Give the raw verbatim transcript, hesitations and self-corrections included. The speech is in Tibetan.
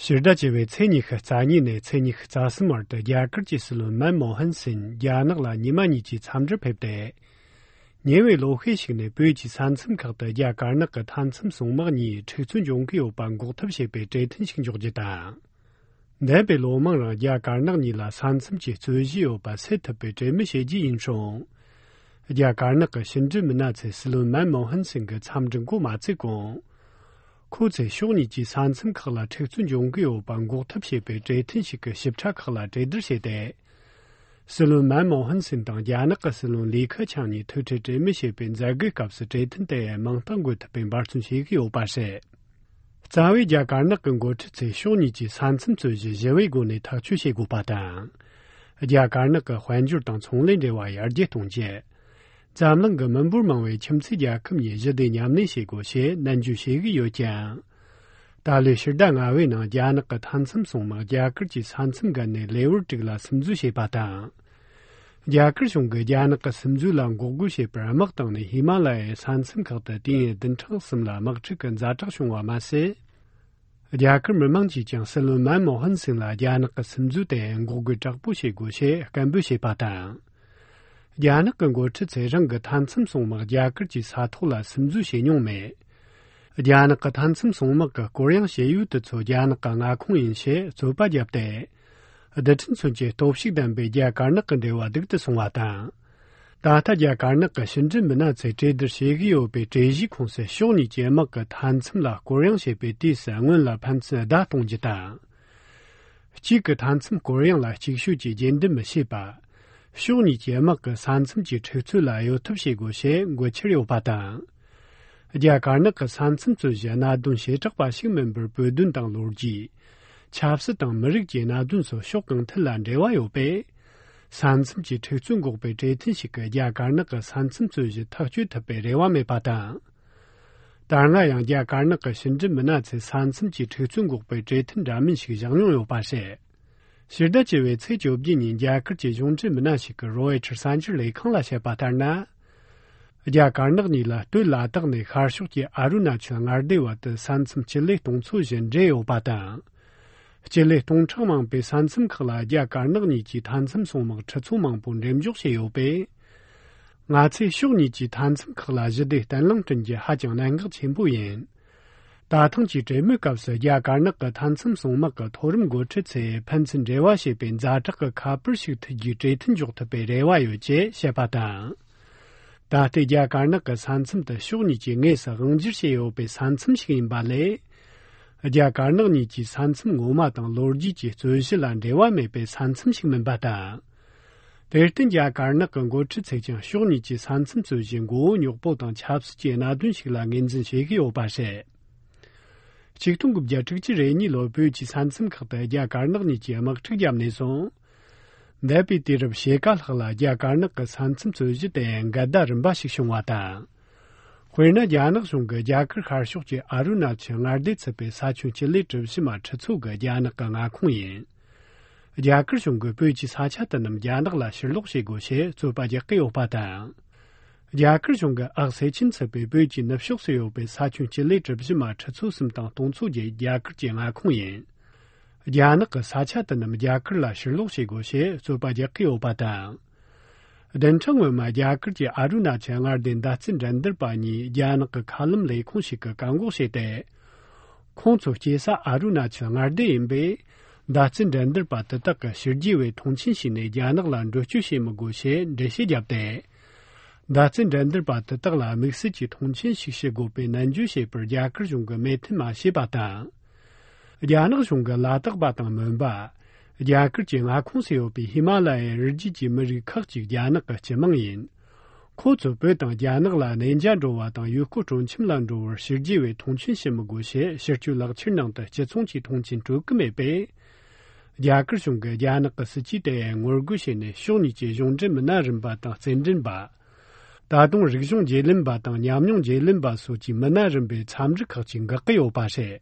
ཕྱི་ཟླ་བཅུ་བའི་ཚེས་ཉི་ཤུ་རྩ་གཉིས་ནས་ཚེས་ཉི་ཤུ་རྩ་གསུམ་བར་དུ་རྒྱ་གར་གྱི་སྲིད་བློན་མན་མོ་ཧན་སིན་རྒྱ་ནག་ལ་ཉི་མ་གཉིས་ཀྱི་འཚམས་འདྲིར་ཕེབས་ཏེ། ཉེ་བའི་ལོ་ཤས་ཤིག་ནས་བོད་ཀྱི་ས་མཚམས་ཁག་ཏུ་རྒྱ་དཀར་ནག་གི་མཐའ་མཚམས་སྲུང་དམག་གཉིས་འཁྲུག་རྩོད་འབྱུང་གི་ཡོད་པ་འགོག་ཐབས་བྱེད་པའི་གྲོས་མཐུན་ཞིག་འཇོག་རྒྱུ་དང་། འདས་པའི་ལོ་མང་རིང་རྒྱ་དཀར་ནག་གཉིས་ལ་ས་མཚམས་ཀྱི་རྩོད་གཞི་ཡོད་པ་སེལ་ཐུབ་པའི་གྲོས་མོལ་བྱེད་རྒྱུ་ཡིན་ཞིང་། རྒྱ་དཀར་ནག་གི་ཕྱི་འབྲེལ་མི་སྣ་ཚོས་སྲིད་བློན་མན་མོ་ཧན་སིན་གྱི་འཚམས་འདྲི་འགོ་མ་བཙུགས་གོང་། ཁོ་ཚོས་ཕྱོགས་གཉིས་ཀྱི་ས་མཚམས་ཁག་ལ་འཁྲུག་རྩོད་འབྱུང་གི་ཡོད་པ་འགོག་ཐབས་བྱེད་པའི་གྲོས་མཐུན་ཞིག་གི་ཞིབ་ཕྲ་ཁག་ལ་གྲོས་བསྡུར་བྱས་ཏེ། སྲིད་བློན་མན་མོ་ཧན་སིན་དང་རྒྱ་ནག་གི་སྲིད་བློན་ལི་ཁེ་ཆང་གཉིས་ཐུག་འཕྲད་གྲོས་མོལ་བྱེད་པའི་མཛད་སྒོའི་སྐབས་སུ་གྲོས་མཐུན་དེ་མིང་རྟགས་འགོད་ཐུབ་པའི་འབད་བརྩོན་བྱེད་ཀྱི་ཡོད་པ་རེད། རྩ་བའི་རྒྱ་དཀར་ནག་གི་འགོ་ཁྲིད་ཚོས་ཕྱོགས་གཉིས་ཀྱི་ས་མཚམས་རྩོད་གཞི་ཞི་བའི་སྒོ་ནས་ཐག་གཅོད་བྱེད་དགོས་པ་དང་། རྒྱ་དཀར་ནག་གི་དཔལ་འབྱོར་དང་ཚོང་ལས་འབྲེལ་བ་ཡར་རྒྱས་གཏོང་རྒྱུ། འཛམ་གླིང་གི་མི་འབོར་མང་བའི་ཁྱིམ་མཚེས་རྒྱལ་ཁབ་གཉིས་ཞི་བདེ་མཉམ་གནས་བྱེད་དགོས་ཞེས་ནན་བརྗོད་བྱེད་ཀྱི་ཡོད་ཀྱང་། ད་ལོའི་ཕྱི་ཟླ་ལྔ་པའི་ནང་རྒྱ་ནག་གི་མཐའ་མཚམས་སྲུང་དམག་རྒྱ་གར་གྱི་ས་མཚམས་བརྒལ་ནས་ལེ་དབར་དྲུག་ལ་སིམ་འཛུལ་བྱས་པ་དང་། རྒྱ་གར་གཞུང་གིས་རྒྱ་ནག་གི་སིམ་འཛུལ་ལ་འགོག་རྒོལ་བྱེད་པར་དམག་བཏང་ནས་ཧི་མ་ལ་ཡའི་ས་མཚམས་ཁག་ཏུ་དུས་ཡུན་བདུན་ཕྲག་གསུམ་ལ་དམག་འཁྲུག་གི་ཛ་དྲག་བྱུང་བ་མ་ཟད། རྒྱ་གར་མི་མང་གིས་ཀྱང་སྲིད་བློན་མན་མོ་ཧན་སིང་ལ་རྒྱ་ནག་གི་སིམ་འཛུལ་དེ་འགོག་རྒོལ་དྲག་པོ་བྱེད་དགོས་ཞེས་སྐད་འབོད་བྱས་པ་དང་། རྒྱ་ནག་གི་འགོ་ཁྲིད་ཚོས་རང་གི་མཐའ་མཚམས་སྲུང་དམག་རྒྱ་གར་གྱི་ས་ཐོག་ལ་སིམ་འཛུལ་བྱས་མྱོང་མེད། རྒྱ་ནག་གི་མཐའ་མཚམས་སྲུང་དམག་གི་སྐོར་གཡེང་བྱེད་ཡུལ་དེ་ཚོ་རྒྱ་ནག་གི་མངའ་ཁོངས་ཡིན་ཞེས་རྩོད་པ་བརྒྱབ་སྟེ། རྡུལ་ཕྲན་མཚོན་གྱི་སྟོབས་ཤུགས་ལྡན་པའི་རྒྱ་དཀར་ནག་གི་འབྲེལ་བ་སྡུག་ཏུ་སོང་བ་དང་། ད་ལྟ་རྒྱ་དཀར་ནག་གི་ཕྱི་འབྲེལ་མི་སྣ་ཚོས་གྲོས་བསྡུར་བྱེད་ཀྱི་ཡོད་པའི་གྲོས་གཞིའི་ཁོངས་སུ་ཕྱོགས་གཉིས་ཀྱི་དམག་གི་མཐའ་མཚམས་ལ་སྐོར་གཡེང་བྱེད་པའི་དུས་སུ་སྔོན་ལ་ཕན་ཚུན་བརྡ་གཏོང་རྒྱུ་དང་། གཅིག་གི་མཐའ་མཚམས་སྐོར་གཡེང་ལ་ཅིག་ཤོས་ཀྱིས་རྗེས་འདེད་མི་བྱེད་པ། ཕྱོགས་གཉིས་ཀྱི་དམག་གི་ས་མཚམས་ཀྱི་འཁྲུག་རྩོད་ལ་གཡོལ་ཐབས་བྱེད་དགོས་ཞེས་འགོད་འཆར་ཡོད་པ་དང་། རྒྱ་དཀར་ནག་གི་ས་མཚམས་རྩོད་གཞི་གནད་དོན་བྱེ་བྲག་པ་ཞིག་མིན་པར་བོད་དོན་དང་ལོ་རྒྱུས། ཆབ་སྲིད་དང་མི་རིགས་ཀྱི་གནད་དོན་སོགས་ཕྱོགས་གང་ཐད་ལ་འབྲེལ་བ་ཡོད་པས། ས་མཚམས་ཀྱི་འཁྲུག་རྩོད་འགོག་པའི་གྲོས་མཐུན་ཞིག་གིས་རྒྱ་དཀར་ནག་གི་ས་མཚམས་རྩོད་གཞི་ཐག་གཅོད་ཐུབ་པའི་རེ་བ་མེད་པ་དང་། ད་སྔ་ཡང་རྒྱ་དཀར་ནག་གི་ཕྱི་འབྲེལ་མི་སྣ་ཚོས་ས་མཚམས་ཀྱི་འཁྲུག་རྩོད་འགོག་པའི་གྲོས་མཐུན་འདྲ་མིན་ཞིག་བཞག་མྱོང་ཡོད་པ་རེད། ཕྱི་ཟླ་བཅུ་བའི་ཚེས་བཅོ་བརྒྱད་ཉིན་རྒྱ་གར་གྱི་གཞུང་འབྲེལ་མི་སྣ་ཞིག་གིས་རོའི་ཊར་གསར་འགྱུར་ལས་ཁང་ལ་བཤད་པ་ལྟར་ན། རྒྱ་དཀར་ནག་གཉིས་ལ་སྟོད་ལ་དྭགས་ནས་ཤར་ཕྱོགས་ཀྱི་ཨ་རུ་ན་ཅལ་མངའ་སྡེ་བར་དུ་ས་མཚམས་སྤྱི་ལེ་སྟོང་ཚོ་བཞི་འབྲེལ་ཡོད་པ་དང་། སྤྱི་ལེ་སྟོང་ཕྲག་མང་པོའི་ས་མཚམས་ཁག་ལ་རྒྱ་དཀར་ནག་གཉིས་ཀྱི་མཐའ་མཚམས་སྲུང་དམག་ཁྲི་ཚོ་མང་པོ་འགྲེམས་འཇོག་བྱས་ཡོད་པས། ང་ཚོས་ཕྱོགས་གཉིས་ཀྱི་མཐའ་མཚམས་ཁག་ལ་ཞི་བདེ་བརྟན་ལྷིང་བསྐྲུན་རྒྱུ་ཧ་ཅང་གནད་འགག་ཆེན་པོ་ཡིན། ད་ཐེངས་ཀྱི་གྲོས་མོལ་སྐབས་སུ་རྒྱ་དཀར་ནག་གི་མཐའ་མཚམས་སྲུང་དམག་གི་མཐོ་རིམ་འགོ་ཁྲིད་ཚོས་ཕན་ཚུན་འབྲེལ་བ་བྱེད་པའི་ཛ་དྲག་གི་ཁ་པར་ཞིག་མཐུད་རྒྱུའི་གྲོས་མཐུན་འཇོག་ཐུབ་པའི་རེ་བ་ཡོད་ཅེས་བཤད་པ་དང་། ད་ལྟའི་རྒྱ་དཀར་ནག་གི་ས་མཚམས་དེ་ཕྱོགས་གཉིས་ཀྱིས་དངོས་སུ་དབང་སྒྱུར་བྱས་ཡོད་པའི་ས་མཚམས་ཤིག་ཡིན་པ་ལས། རྒྱ་དཀར་ནག་གཉིས་ཀྱིས་ས་མཚམས་ངོ་མ་དང་ལོ་རྒྱུས་ཀྱི་རྩོད་གཞི་ལ་འབྲེལ་བ་མེད་པའི་ས་མཚམས་ཤིག་མིན་པ་དང་། དེར་བརྟེན་རྒྱ་དཀར་ནག་གི་འགོ་ཁྲིད་ཚོས་ཀྱང་ཕྱོགས་གཉིས་ཀྱི་ས་མཚམས་རྩོད་གཞི་མགོ་བོ་རྙོག་པོ་དང་ཆབ་སྲིད་ཀྱི་གནད་དོན་ཞིག་ལ་ངོས་འཛིན་བྱེད་ཀྱི་ཡོད་པ་རེད། ཆིག་སྟོང་དགུ་བརྒྱ་དྲུག་ཅུ་རེ་གཉིས་ལོར་བོད་ཀྱི་ས་མཚམས་ཁག་ཏུ་རྒྱ་དཀར་ནག་གཉིས་ཀྱིས་དམག་འཁྲུག་བརྒྱབ་ནས་བཟུང་། འདས་པའི་དུས་རབས་ཕྱེད་ཀ་ལྷག་ལ་རྒྱ་དཀར་ནག་གི་ས་མཚམས་རྩོད་གཞི་དེ་འགལ་ཟླ་རིམ་པ་ཞིག་བྱུང་བ་དང་། དཔེར་ན། རྒྱ་ནག་གཞུང་གིས་རྒྱ་གར་ཤར་ཕྱོགས་ཀྱི་ཨ་རུ་ན་ཅལ་མངའ་སྡེ་ཚུད་པའི་ས་ཁྱོན་སྤྱི་ལེ་གྲུ་བཞི་མ་ཁྲི་ཚོ་གི་རྒྱ་ནག་གི་མངའ་ཁོངས་ཡིན། རྒྱ་གར་གཞུང་གིས་བོད་ཀྱི་ས་ཆ་དེ་རྣམས་རྒྱ་ནག་ལ་ཕྱིར་སློག་བྱེད་དགོས་ཞེས་རྩོད་པ་རྒྱག་གི་ཡོད་པ་དང་། རྒྱ་གར་གཞུང་གིས་ཨག་སེ་ཆེན་ཚུད་པའི་བོད་ཀྱི་ནུབ་ཕྱོགས་སུ་ཡོད་པའི་ས་ཁྱོན་སྤྱི་ལེ་གྲུ་བཞི་མ་ཁྲི་ཚོ་གསུམ་དང་སྟོང་ཚོ་བརྒྱད་རྒྱ་གར་གྱི་མངའ་ཁོངས་ཡིན། རྒྱ་ནག་གི་ས་ཆ་དེ་རྣམས་རྒྱ་གར་ལ་ཕྱིར་སློག་བྱེད་དགོས་ཞེས་རྩོད་པ་རྒྱག་གི་ཡོད་པ་དང་། བདུན་ཕྲག་སྔོན་མ་རྒྱ་གར་གྱི་ཨ་རུ་ན་ཅལ་མངའ་སྡེའི་མདའ་རྩེད་འགྲན་བསྡུར་པ་གཉིས་རྒྱ་ནག་གི་མཁའ་ལམ་ལས་ཁུངས་ཤིག་གིས་བཀག་འགོག་བྱས་ཏེ། ཁོང་ཚོ་སྐྱེས་ས་ཨ་རུ་ན་ཅལ་མངའ་སྡེ་ཡིན་པས། མདའ་རྩེད་འགྲན་བསྡུར་པ་དེ་དག་གིས་ཕྱི་རྒྱལ་བའི་མཐོང་ཆེན་བྱས་ནས་རྒྱ་ནག་ལ་འགྲུལ་སྐྱོད་བྱེད་མི་དགོས་ཞེས་འགྲེལ་བཤད་བརྒྱབ་སྟེ། མདའ་རྩེད་འགྲན་བསྡུར་པ་དེ་དག་ལ་དམིགས་བསལ་གྱི་མཐོང་ཆེན་ཞིག་བྱེད་དགོས་པའི་ནན་བརྗོད་བྱས་པར་རྒྱ་གར་གཞུང་གིས་མོས་མཐུན་མ་བྱས་པ་དང་། རྒྱ་ནག་གཞུང་གིས་ལ་དྭགས་པ་དང་མོན་པ། རྒྱ་གར་གྱི་མངའ་ཁོངས་སུ་ཡོད་པའི་ཧི་མ་ལ་ཡའི་རི་རྒྱུད་ཀྱི་མི་རིགས་ཁག་ཅིག་རྒྱ་ནག་གི་སྤྱི་དམངས་ཡིན། ཁོ་ཚོས་བོད་དང་རྒྱ་ནག་ལ་གནས་མཇལ་འགྲོ་བ་དང་ཡུལ་སྐོར་སྤྲོ་འཆམ་ལ་འགྲོ་བར་ཕྱི་རྒྱལ་བས་མཐོང་ཆེན་བྱེད་མི་དགོས་ཞེས་ཕྱི་སྐྱོད་ལག་འཁྱེར་ནང་དུ་སྤྱི་ཚོགས་ཀྱི་མཐོང་ཆེན་སྤྲོད་ཀྱི་མེད་པས། རྒྱ་གར་གཞུང་གིས་རྒྱ་ནག་གི་སྲིད་ཇུས་དེ་ངོ་རྒོལ་བྱས་ནས་ཕྱོགས་གཉིས་ཀྱི་གཞུང་འབྲེལ་མི་སྣ་རིམ་པ་དང་རྩེད་འགྲན་པ། ད་དུང་རིག་གཞུང་བརྗེ་ལེན་པ་དང་ཉམས་མྱོང་བརྗེ་ལེན་པ་སོགས་ཀྱི་མི་སྣ་རིམ་པའི་འཚམས་འདྲི་ཁག་ཅིག་འགོག་གི་ཡོད་པ་རེད།